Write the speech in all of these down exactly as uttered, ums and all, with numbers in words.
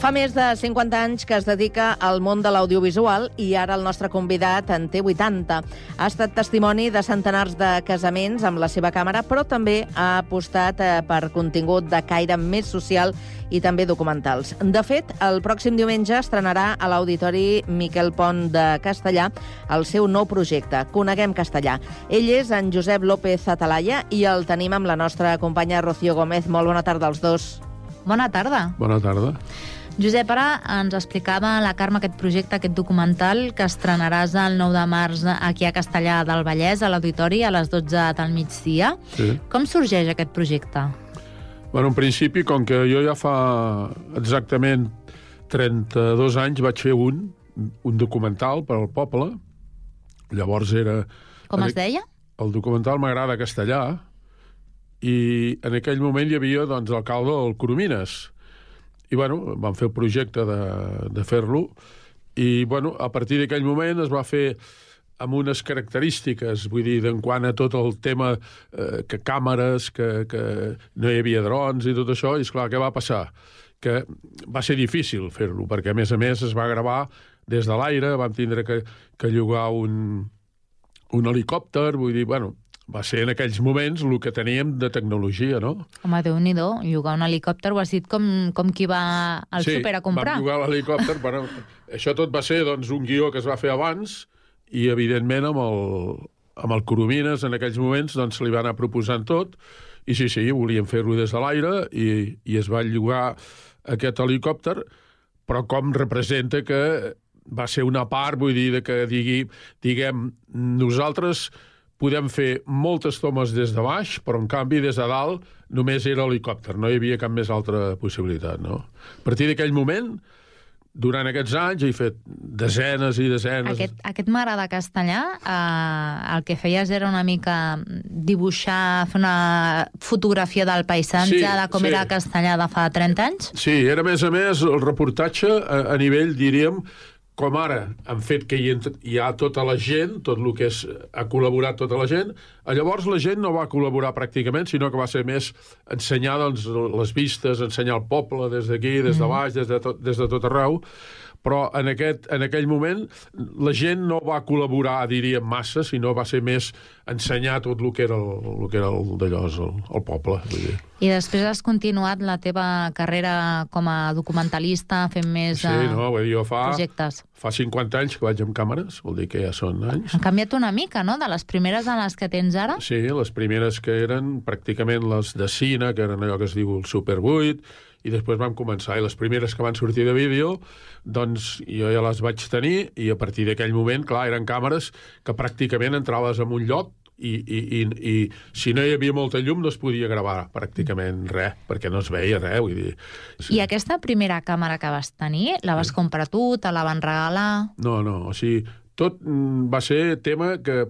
Fa més de cinquanta anys que es dedica al món de l'audiovisual i ara el nostre convidat en té vuitanta. Ha estat testimoni de centenars de casaments amb la seva càmera, però també ha apostat per contingut de caire més social i també documentals. De fet, el pròxim diumenge estrenarà a l'Auditori Miquel Pont de Castellà el seu nou projecte, Coneguem Castellà. Ell és en Josep López Atalaya i el tenim amb la nostra companya Rocío Gómez. Molt bona tarda als dos. Bona tarda. Bona tarda. Josep, ara ens explicava la Carme aquest projecte, aquest documental que estrenaràs el nou de març aquí a Castellà del Vallès, a l'Auditori, a les dotze del migdia. Sí. Com sorgeix aquest projecte? Bueno, en principi, com que jo ja fa exactament trenta-dos anys vaig fer un, un documental per al poble. Llavors era... Com es deia? El documental M'agrada Castellà, i en aquell moment hi havia doncs, l'alcalde del Coromines. I, bueno, vam fer el projecte de, de fer-lo, i, bueno, a partir d'aquell moment es va fer amb unes característiques, vull dir, en quant a tot el tema, eh, que càmeres, que, que no hi havia drons i tot això, i, esclar, què va passar? Que va ser difícil fer-lo, perquè, a més a més, es va gravar des de l'aire, vam tindre que, que llogar un, un helicòpter, vull dir, bueno... Va ser en aquells moments el que teníem de tecnologia, no? Home, Déu-n'hi-do, llogar un helicòpter, ho has dit com, com qui va al sí, súper a comprar. Sí, vam llogar l'helicòpter, però això tot va ser doncs, un guió que es va fer abans i, evidentment, amb el, amb el Coromines, en aquells moments, doncs, se li va anar proposant tot, i sí, sí, volíem fer-lo des de l'aire i, i es va llogar aquest helicòpter, però com representa que va ser una part, vull dir, de que digui, diguem, nosaltres... podem fer moltes tomes des de baix, però, en canvi, des de dalt només era helicòpter, no hi havia cap més altra possibilitat, no? A partir d'aquell moment, durant aquests anys, he fet desenes i desenes... Aquest, aquest M'agrada Castellà, eh, el que feies era una mica dibuixar, fer una fotografia del paisatge, sí, de com sí. Era Castellà de fa trenta anys? Sí, era, a més a més, el reportatge a, a nivell, diríem, com ara han fet que hi, hi ha tota la gent, tot el que és, ha col·laborat tota la gent, llavors la gent no va col·laborar pràcticament, sinó que va ser més ensenyar doncs, les vistes, ensenyar el poble des d'aquí, des de baix, des de tot, des de tot arreu, però en, aquest, en aquell moment la gent no va col·laborar, diríem, massa, sinó va ser més ensenyar tot el que era el, el que era el d'allò, el, el poble. Vull dir. I després has continuat la teva carrera com a documentalista, fent més sí, no, vull dir, jo fa, projectes. Fa cinquanta anys que vaig amb càmeres, vol dir que ja són anys. Han canviat una mica, no?, de les primeres a les que tens ara? Sí, les primeres que eren pràcticament les de cine, que eren allò que es diu el Super vuit, i després vam començar, i les primeres que van sortir de vídeo, doncs jo ja les vaig tenir, i a partir d'aquell moment, clar, eren càmeres que pràcticament entraves en un lloc i, i, i, i si no hi havia molta llum no es podia gravar pràcticament res, perquè no es veia res, vull dir. Sí. I aquesta primera càmera que vas tenir, la vas comprar tu, te la van regalar? No, no, o sigui, tot va ser tema que,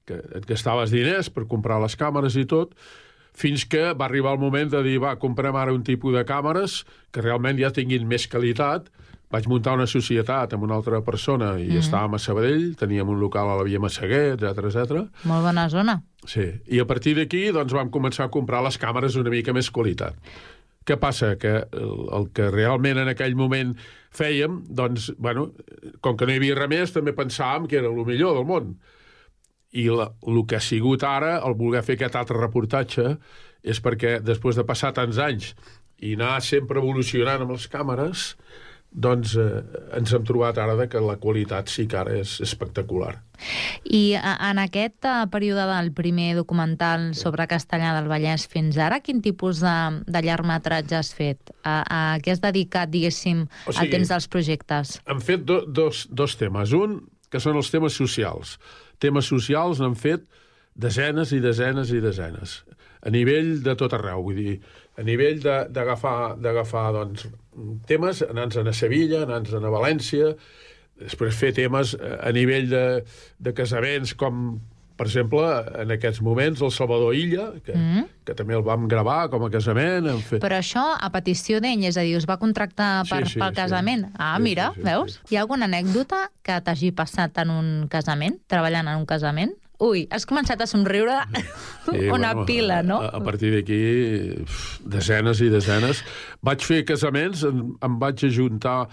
que et gastaves diners per comprar les càmeres i tot, fins que va arribar el moment de dir, va, comprem ara un tipus de càmeres que realment ja tinguin més qualitat. Vaig muntar una societat amb una altra persona i mm-hmm. estàvem a Sabadell, teníem un local a la Via Massaguer, etcètera, etcètera. Molt bona zona. Sí, i a partir d'aquí doncs, vam començar a comprar les càmeres una mica més qualitat. Què passa? Que el, el que realment en aquell moment fèiem, doncs, bueno, com que no hi havia res més, també pensàvem que era el millor del món. I la, el que ha sigut ara, el voler fer aquest altre reportatge, és perquè després de passar tants anys i anar sempre evolucionant amb les càmeres, doncs eh, ens hem trobat ara que la qualitat sí que ara és espectacular. I en aquest període del primer documental sobre Castellà del Vallès fins ara, quin tipus de, de llargmetratge has fet? A, a què has dedicat, diguéssim, o sigui, el temps dels projectes? Hem fet do, dos, dos temes. Un, que són els temes socials. Temes socials n'han fet desenes i desenes i desenes. A nivell de tot arreu, vull dir, a nivell d'agafar d'agafar doncs, temes, anar-nos a Sevilla, anar-nos a València, després fer temes a nivell de, de casaments com, per exemple, en aquests moments, el Salvador Illa, que, mm. que també el vam gravar com a casament. Fet... Però això a petició d'ell, és a dir, us va contractar per, sí, sí, pel casament. Sí. Ah, sí, mira, sí, sí, veus? Sí. Hi ha alguna anècdota que t'hagi passat en un casament, treballant en un casament? Ui, has començat a somriure sí, una bueno, pila, no? A, a partir d'aquí, desenes i desenes. Vaig fer casaments, em, em vaig ajuntar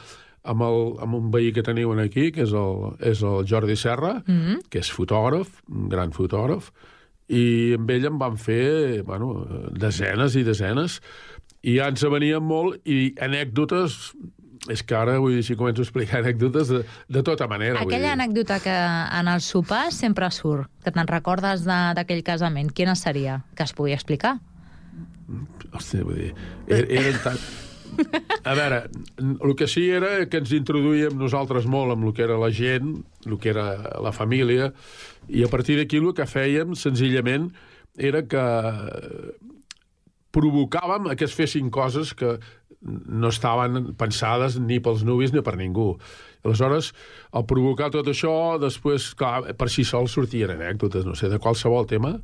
amb, el, amb un veí que teniu aquí, que és el, és el Jordi Serra, mm-hmm. que és fotògraf, un gran fotògraf, i amb ell em van fer bueno, desenes i desenes, i ja ens venien molt, i anècdotes... És que ara, vull dir, si començo a explicar anècdotes de, de tota manera. Aquella anècdota que en el sopar sempre surt, que te'n recordes d'aquell casament, quina seria? Que es pugui explicar? Hòstia, vull dir, er, eren tan... A veure, el que sí era que ens introduïem nosaltres molt amb el que era la gent, el que era la família, i a partir d'aquí el que fèiem, senzillament, era que provocàvem que es fessin coses que no estaven pensades ni pels nuvis ni per ningú. Aleshores, al provocar tot això, després, clar, per si sol sortien anècdotes, no sé, de qualsevol tema,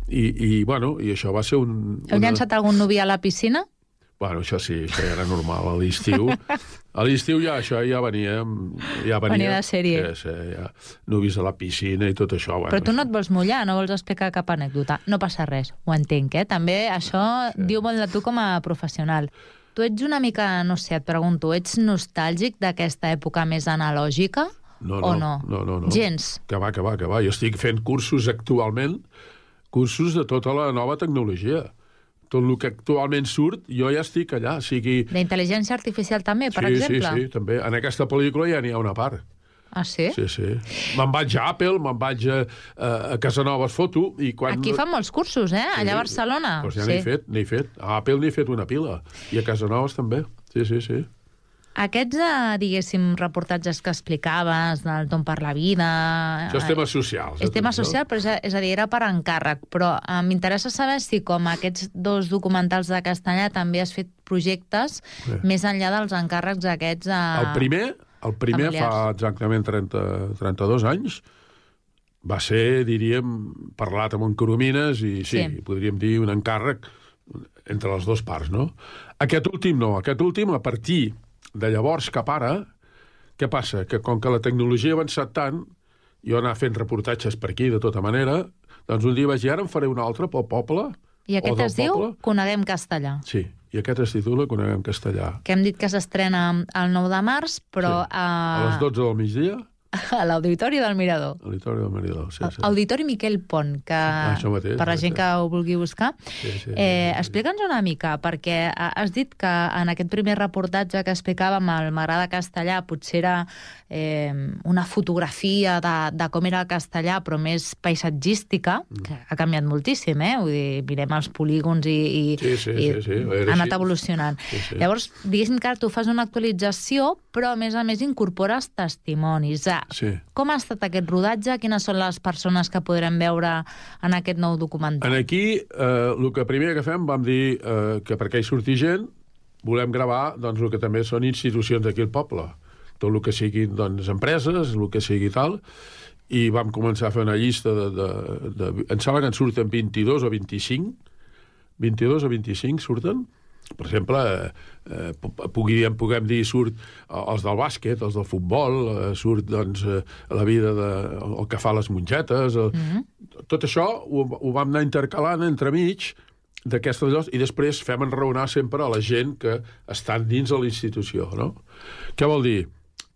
i, i bueno, i això va ser un... Heu una... llançat algun nuvi a la piscina? Bueno, això sí, això ja era normal, a l'estiu. A l'estiu ja això ja venia... Ja venia, venia de sèrie. Ja, sí, ja, nuvis a la piscina i tot això. Bueno, però tu no et vols mullar, no vols explicar cap anècdota. No passa res, ho entenc, eh? També això sí. Diu molt de tu com a professional. Tu ets una mica, no sé, et pregunto, ets nostàlgic d'aquesta època més analògica no, o no? No, no, no. Gens? Que va, que va, que va. Jo estic fent cursos actualment, cursos de tota la nova tecnologia. Tot el que actualment surt, jo ja estic allà. O sigui... D'intel·ligència artificial també, per sí, exemple? Sí, sí, també. En aquesta pel·lícula ja n'hi ha una part. Ah, sí? Sí, sí. Me'n vaig a Apple, me'n vaig a, a Casanovas Foto... I quan... Aquí fan molts cursos, eh? Allà a Barcelona. Doncs ja sí. n'he fet, n'he fet. A Apple n'he fet una pila. I a Casanovas també. Sí, sí, sí. Aquests, diguéssim, reportatges que explicaves, del Tom per la vida... Això és tema social. És tema social, però és a, és a dir, era per encàrrec. Però eh, m'interessa saber si, com aquests dos documentals de castellà, també has fet projectes sí. més enllà dels encàrrecs aquests... A... El primer, el primer fa exactament trenta, trenta-dos anys, va ser, diríem, parlat amb en Coromines i sí, sí, podríem dir un encàrrec entre les dues parts, no? Aquest últim no. Aquest últim, a partir de llavors cap ara, què passa? Que com que la tecnologia ha avançat tant, jo anar fent reportatges per aquí de tota manera, doncs un dia vaig dir, ara em faré un altre pel poble. I aquest es diu Coneguem Castellà. Sí, i aquest es titula Coneguem Castellà. Que hem dit que s'estrena el nou de març, però... Sí. A les dotze del migdia. A l'Auditori del Mirador. L'Auditori del Mirador, sí, sí. Auditori Miquel Pont, que ah, mateix, per la gent que ho vulgui buscar. Sí, sí, eh, sí, sí. Explica'ns una mica, perquè has dit que en aquest primer reportatge que explicàvem el M'agrada castellà potser era eh, una fotografia de, de com era el castellà, però més paisatgística, mm. que ha canviat moltíssim, eh? Vull dir, mirem els polígons i, i, sí, sí, i sí, sí. ha anat evolucionant. Sí, sí. Llavors, diguéssim que ara tu fas una actualització, però a més a més incorpores testimonis. Sí. Com ha estat aquest rodatge? Quines són les persones que podrem veure en aquest nou documental? En aquí, eh, el que primer que fem, vam dir eh, que perquè hi surti gent, volem gravar doncs, el que també són institucions d'aquí al poble. Tot el que siguin doncs, empreses, el que sigui tal, i vam començar a fer una llista de... de, de em sembla que en surten vint-i-dos o vint-i-cinc. vint-i-dos o vint-i-cinc surten. Per exemple, eh, puguem, puguem dir, surt els del bàsquet, els del futbol, eh, surt doncs, eh, la vida de, el que fa les mongetes. El... Mm-hmm. Tot això ho, ho vam anar intercalant entremig d'aquestes llocs i després fem enraonar sempre a la gent que estan dins de la institució. No? Què vol dir?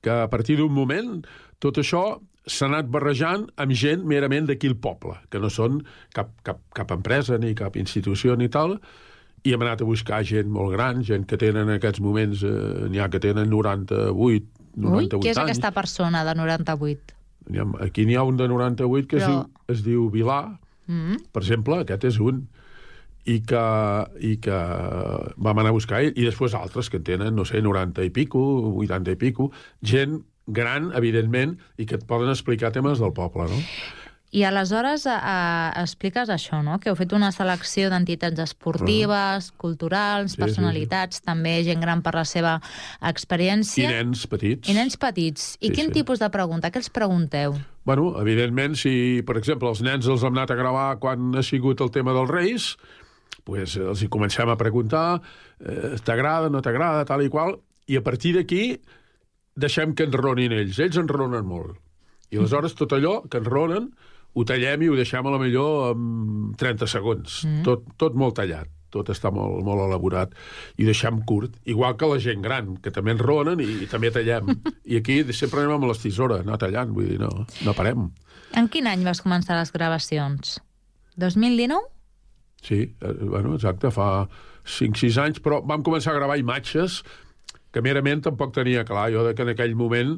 Que a partir d'un moment tot això s'ha anat barrejant amb gent merament d'aquí al poble, que no són cap, cap, cap empresa ni cap institució ni tal, i hem anat a buscar gent molt gran, gent que tenen en aquests moments, eh, n'hi ha que tenen noranta-vuit, noranta-vuit Ui, qui és anys. aquesta persona de noranta-vuit? N'hi ha, aquí n'hi ha un de noranta-vuit que Però... es, diu, es diu Vilà, mm-hmm. per exemple, aquest és un, i que, i que vam anar a buscar ell, i després altres que en tenen, no sé, noranta i pico, vuitanta i pico, gent gran, evidentment, i que et poden explicar temes del poble, no? I aleshores eh, expliques això, no? Que heu fet una selecció d'entitats esportives, uh-huh. culturals, sí, personalitats, sí, sí. també gent gran per la seva experiència. I nens petits. I nens petits. I sí, quin sí. tipus de pregunta? Què els pregunteu? Bueno, evidentment, si, per exemple, els nens els hem anat a gravar quan ha sigut el tema dels Reis, pues, els hi comencem a preguntar eh, t'agrada, no t'agrada, tal i qual, i a partir d'aquí deixem que enronin ells. Ells enronen molt. I aleshores tot allò que enronen ho tallem i ho deixem a la millor en trenta segons. Mm. Tot, tot molt tallat. Tot està molt, molt elaborat, i deixem curt, igual que la gent gran, que també enronen i, i també tallem. I aquí sempre anem amb les tisores, anar tallant, vull dir, no, no parem. En quin any vas començar les gravacions? dos mil dinou? Sí, eh, bueno, exacte, fa cinc sis anys, però vam començar a gravar imatges que merament tampoc tenia clar, jo que en aquell moment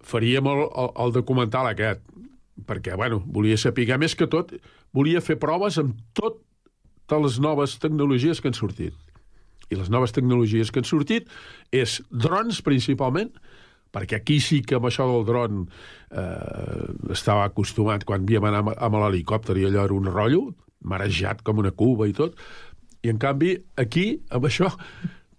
faríem el, el, el documental aquest, perquè, bueno, volia saber, més que tot, volia fer proves amb tot de les noves tecnologies que han sortit. I les noves tecnologies que han sortit és drons, principalment, perquè aquí sí que amb això del dron eh, estava acostumat quan havíem anat amb, amb l'helicòpter i allò era un rotllo, marejat com una cuba i tot, i en canvi aquí, amb això,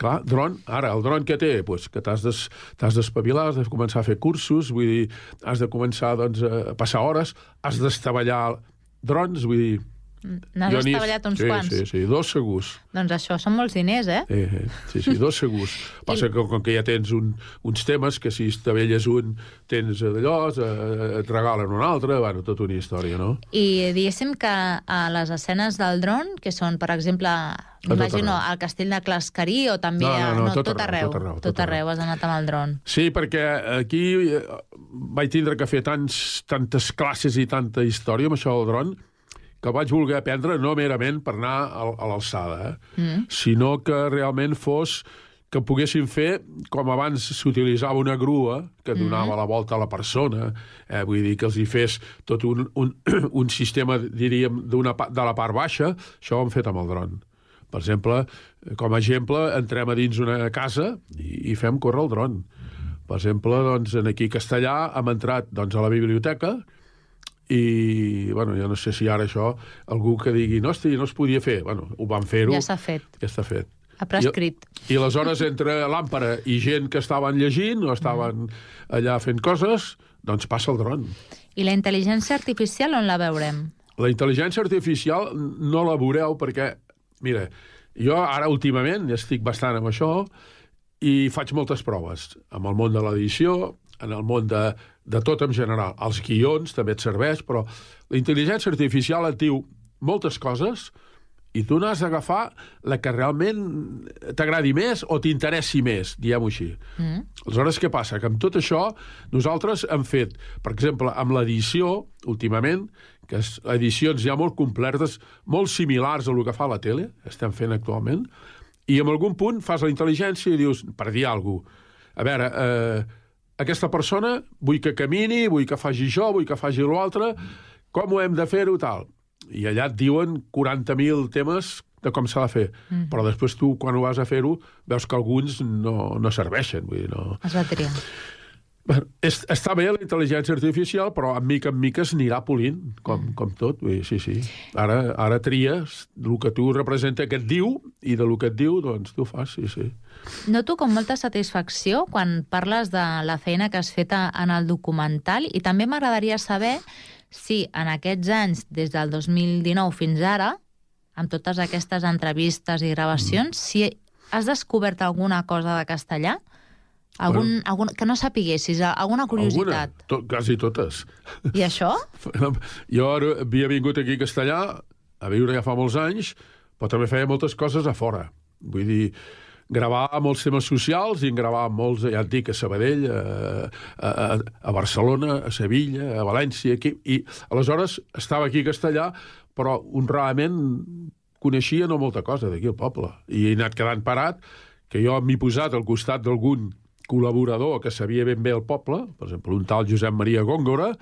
clar, dron, ara, el dron que té, pues, que t'has des, d'espavilar, has de començar a fer cursos, vull dir, has de començar doncs, a passar hores, has d'estavellar drons, vull dir, n'has estavellat uns sí, quants? Sí, sí, dos segurs. Doncs això són molts diners, eh? eh sí, sí, dos segurs. Passa I... que com que ja tens un, uns temes que si estavelles un tens d'allò, et regalen un altre, bueno, tota una història, no? I diguéssim que a les escenes del dron, que són, per exemple, imagino, al castell de Clascarí o també no, no, no, no, tot, tot, arreu, arreu, tot arreu. Tot, tot arreu, has anat amb el dron. Sí, perquè aquí vaig tindre que fer tants, tantes classes i tanta història amb això del dron que vaig voler aprendre no merament per anar a l'alçada, eh? mm. sinó que realment fos que poguessin fer, com abans s'utilitzava una grua que donava mm. la volta a la persona, eh? vull dir que els hi fes tot un, un, un sistema, diríem, d'una, de la part baixa, això ho hem fet amb el dron. Per exemple, com a exemple, entrem a dins una casa i, i fem córrer el dron. Per exemple, doncs, aquí a Castellà hem entrat doncs, a la biblioteca i, bueno, jo no sé si ara això, algú que digui, no, hosti, no es podia fer. Bueno, ho van fer-ho. Ja s'ha fet. Ja està fet. Ha prescrit. I, I aleshores, entre l'àmpara i gent que estaven llegint o estaven allà fent coses, doncs passa el dron. I la intel·ligència artificial on la veurem? La intel·ligència artificial no la veureu perquè, mira, jo ara últimament estic bastant amb això i faig moltes proves amb el món de l'edició, en el món de, de tot en general. Els guions també et serveix, però la intel·ligència artificial et diu moltes coses i tu n'has d'agafar la que realment t'agradi més o t'interessi més, diguem-ho així. Mm. Aleshores, què passa? Que amb tot això nosaltres hem fet, per exemple, amb l'edició, últimament, que és edicions ja molt completes, molt similars a el que fa la tele, estem fent actualment, i en algun punt fas la intel·ligència i dius, per dir alguna cosa, a veure, eh, aquesta persona vull que camini, vull que faci això, vull que faci l'altre, com ho hem de fer-ho, tal. I allà et diuen quaranta mil temes de com s'ha de fer. Mm. Però després tu, quan ho vas a fer-ho, veus que alguns no, no serveixen. Vull dir, no... Es va triar. Bueno, és, està bé la intel·ligència artificial, però en mica en mica s'anirà polint, com, mm. com tot. Vull dir, sí, sí. Ara, ara tries el que tu representa que et diu, i de lo que et diu, doncs tu fas, sí, sí. Noto com molta satisfacció quan parles de la feina que has fet en el documental i també m'agradaria saber si en aquests anys, des del dos mil dinou fins ara, amb totes aquestes entrevistes i gravacions, mm. si has descobert alguna cosa de castellà? Algun, bueno, algun, que no sapiguessis, alguna curiositat? Alguna, to, quasi totes. I això? Jo havia vingut aquí a Castellà a viure ja fa molts anys, però també feia moltes coses a fora. Vull dir, gravar molts temes socials i en gravar molts, ja et dic, a Sabadell, a, a, a Barcelona, a Sevilla, a València, aquí. I aleshores estava aquí a Castellà, però honradament coneixia no molta cosa d'aquí al poble. I he anat quedant parat, que jo m'he posat al costat d'algun col·laborador que sabia ben bé el poble, per exemple, un tal Josep Maria Góngora,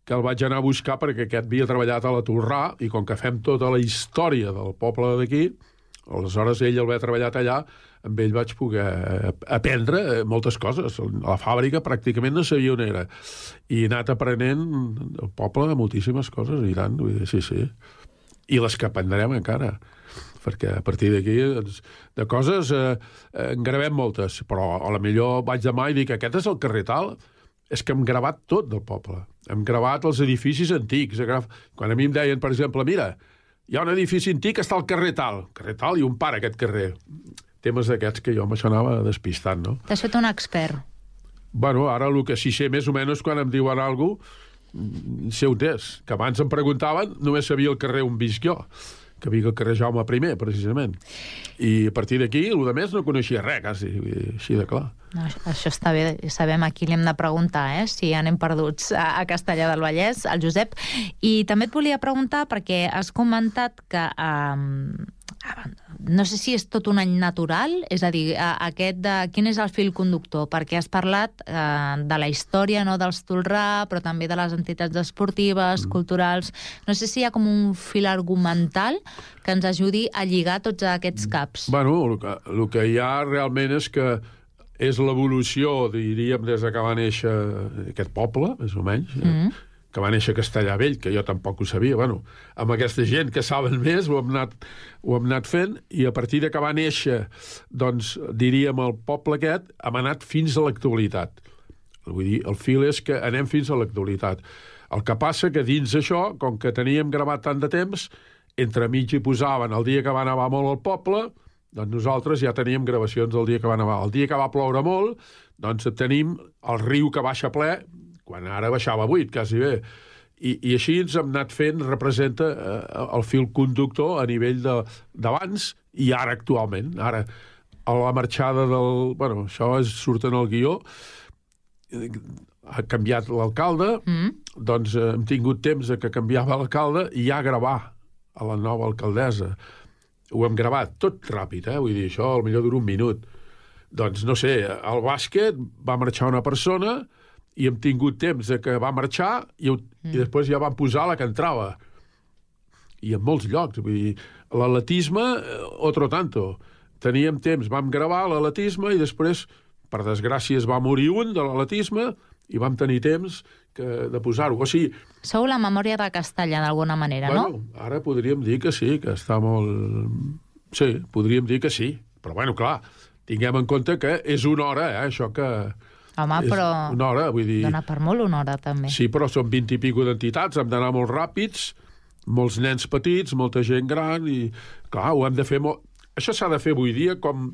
que el vaig anar a buscar perquè aquest havia treballat a la Torrà, i com que fem tota la història del poble d'aquí, aleshores ell el va treballat allà, amb ell vaig poder aprendre moltes coses. A la fàbrica pràcticament no sabia on era. I he anat aprenent el poble de moltíssimes coses, i tant, vull dir, sí, sí. I les que aprendrem encara, perquè a partir d'aquí doncs, de coses eh, en gravem moltes, però a la millor vaig demà i dic, aquest és el carrer tal, és que hem gravat tot del poble. Hem gravat els edificis antics. Quan a mi em deien, per exemple, mira, hi ha un edifici antic que està al carrer tal, carrer tal i un par aquest carrer. Temes d'aquests que jo amb això anava despistant, no? T'has fet un expert. Bueno, ara el que sí sé més o menys quan em diuen alguna cosa, sé on és, que abans em preguntaven, només sabia el carrer on visc jo, que vic al carrer Jaume primer, precisament. I a partir d'aquí, el de més no coneixia res, quasi, així de clar. No, això està bé, sabem a qui li hem de preguntar, eh? Si anem perduts a, a Castellar del Vallès, al Josep. I també et volia preguntar, perquè has comentat que eh, no sé si és tot un any natural, és a dir, aquest de, quin és el fil conductor, perquè has parlat eh, de la història, no, dels Tolrà, però també de les entitats esportives, mm. culturals. No sé si hi ha com un fil argumental que ens ajudi a lligar tots aquests caps. Bueno, el que, el que hi ha realment és que és l'evolució, diríem, des que va néixer aquest poble, més o menys, mm. eh? que va néixer a Castellar Vell, que jo tampoc ho sabia. Bueno, amb aquesta gent que saben més ho hem anat, ho hem anat fent, i a partir de que va néixer, doncs, diríem, el poble aquest, hem anat fins a l'actualitat. Vull dir, el fil és que anem fins a l'actualitat. El que passa que dins això, com que teníem gravat tant de temps, entre mig hi posaven el dia que va nevar molt al poble, doncs nosaltres ja teníem gravacions del dia que va nevar. El dia que va ploure molt, doncs tenim el riu que baixa ple, quan ara baixava vuit, quasi bé. I, i així ens hem anat fent, representa eh, el fil conductor a nivell d'abans i ara actualment. Ara, a la marxada del... Bueno, això és, surt en el guió, ha canviat l'alcalde, mm. doncs eh, hem tingut temps que canviava l'alcalde i ja gravar a la nova alcaldessa. Ho hem gravat tot ràpid, eh? Vull dir, això potser dura un minut. Doncs, no sé, al bàsquet va marxar una persona i hem tingut temps de que va marxar i, mm. i després ja van posar la que entrava. I en molts llocs. Vull dir, l'atletisme, otro tanto. Teníem temps, vam gravar l'atletisme i després, per desgràcia, es va morir un de l'atletisme i vam tenir temps que, de posar-ho. O sigui... Sou la memòria de Castellar, d'alguna manera, bueno, no? Ara podríem dir que sí, que està molt... Sí, podríem dir que sí. Però, bueno, clar, tinguem en compte que és una hora, eh, això que... Home, però una hora, vull dir... dona per molt una hora, també. Sí, però són vint i pico d'entitats, hem d'anar molt ràpids, molts nens petits, molta gent gran, i, clar, ho hem de fer molt... Això s'ha de fer avui dia com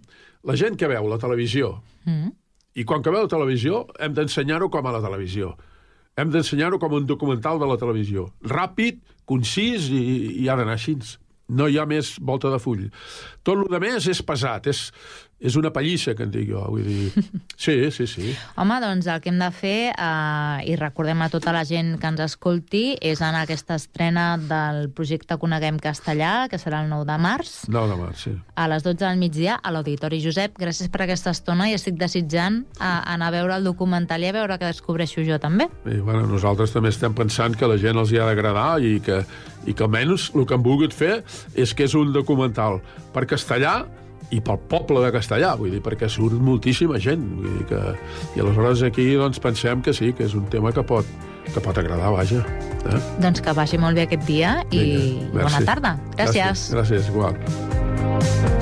la gent que veu la televisió. Mm. I quan que veu la televisió, hem d'ensenyar-ho com a la televisió. Hem d'ensenyar-ho com un documental de la televisió. Ràpid, concís, i, i ha d'anar així. No hi ha més volta de full. Tot el que més és pesat, és... És una pallissa, que en dic jo, vull dir... Sí, sí, sí. Home, doncs el que hem de fer, eh, i recordem a tota la gent que ens escolti, és anar a aquesta estrena del projecte Coneguem Castellar, que serà el nou de març. nou de març, sí. A les dotze del migdia, a l'Auditori. Josep, gràcies per aquesta estona i estic desitjant a, a anar a veure el documental i a veure què descobreixo jo, també. I, bueno, nosaltres també estem pensant que la gent els hi ha d'agradar i que, i que almenys el que han volgut fer és que és un documental per Castellar i pel poble de Castellar, vull dir, perquè surt moltíssima gent, vull dir que... I aleshores aquí, doncs, pensem que sí, que és un tema que pot, que pot agradar, vaja. Eh? Doncs que vagi molt bé aquest dia i Vinga, bona tarda. Gràcies. Gràcies, gràcies igual.